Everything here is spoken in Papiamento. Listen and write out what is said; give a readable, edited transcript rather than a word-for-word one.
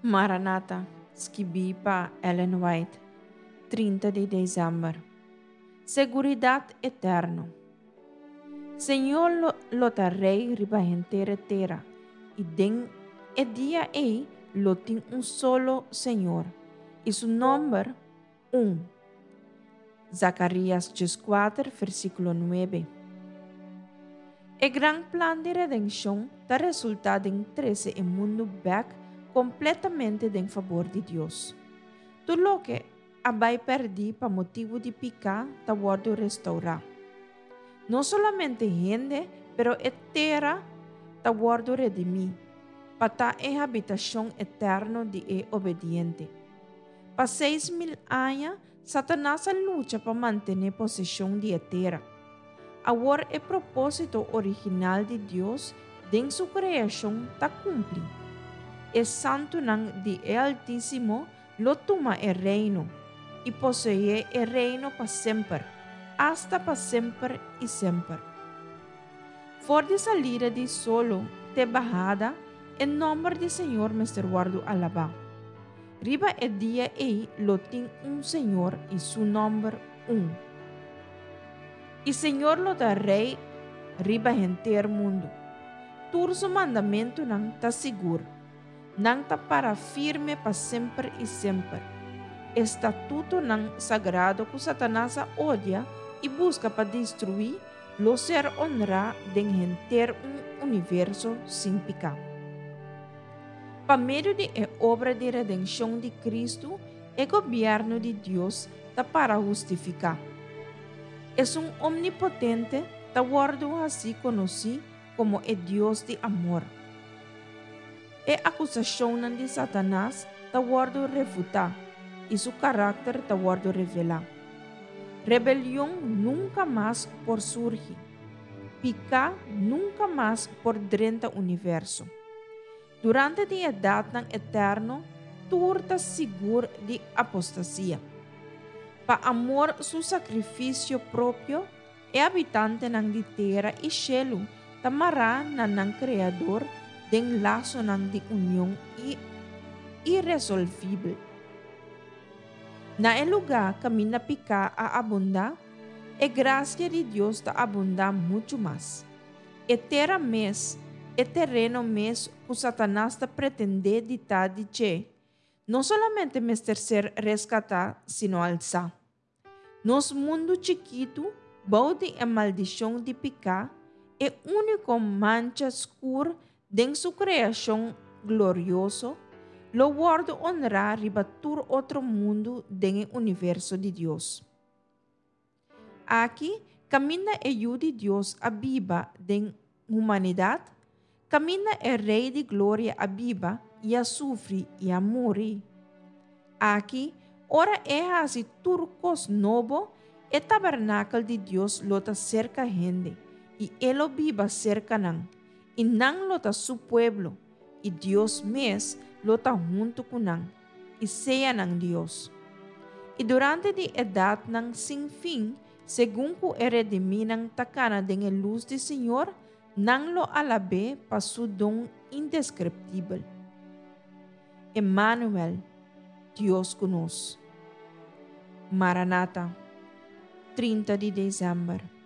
Maranata, skibí pa Ellen White, 30 di desèmber. Seguridat eterno. Señor lo, lo ta rei riba henter e tera, i den e dia ei lo tin un solo Señor, i su nòmber un. Zakarias 14, versíkulo 9. E gran plan di redenshon ta resultá den trese e mundu bèk kompletamente den fabor di Dios. Tur loke a bai pèrdí pa motibu di piká ta wòrdu restourá. No solamente hende, pero e tera ta wòrdu redimí pa ta e habitashon eterno di e obediente. Pa 6000 aña, Satanas a lucha pa mantené poseshon di e tera. Awor e propósito original di Dios den su kreashon ta kumpli. E santunan di e Altísimo lo tuma e reino i poseé e reino pa semper, asta pa semper i semper. For di salida di solo te bahada, e nòmber di Señor mester wòrdu alabá. Riba e dia ei lo tin un Señor i su nòmber un. I Señor lo ta Rei riba henter mundu. Tur su mandamentunan ta sigur. Nan ta para firme pa semper i semper. E statutonan sagrado ku Satanas a odia i buska pa destruí lo ser onrá den henter un universo sin piká. Pa medio di e obra di redenshon di Kristu, e gobièrnu di Dios ta para hustifiká. Esun Omnipotente ta wòrdu hasí konosí komo e Dios di amor. E akusashonnan di Satanas ta wòrdu refutá i su karakter ta wòrdu revelá. Rebelion nunka mas por surgi. Piká nunka mas por drenta universo. Durante di edatnan eterno tur ta sigur di apostasia. Pa amor su sakrifisio propio, E habitantenan di tera i shelu ta mará na nan Kreador den lasonan di union iresolvibel. Na e lugá kaminda piká a abundá, e grasia di Dios ta abundá muchu mas. E tera mes, e tereno mes ku Satanas ta pretendé di ta di dje, no solamente mester ser reskatá sino alsá. Nos mundu chikitu, bou di e maldishon di piká, e úniko mancha skur den su kreashon glorioso, lo wòrdu onrá riba tur otro mundu den e universo di Dios. Aki, kaminda e Yu di Dios a biba den humanidat, kaminda e Rei di Gloria a biba i a sufri i a muri. Aki, ora e hasi tur kos nobo, e tabernakel di Dios lo ta serka hende, i e lo biba serka nan, i nan lo ta su pueblo, i Dios mes lo ta huntu ku nan, i sea nan Dios. I durante di edatnan sin fin, segun ku e redimínan ta kana den e lus di Señor, nan lo alab'é pa su don indeskriptibel. Emmanuel, Dios ku nos. Maranata, 30 di desèmber.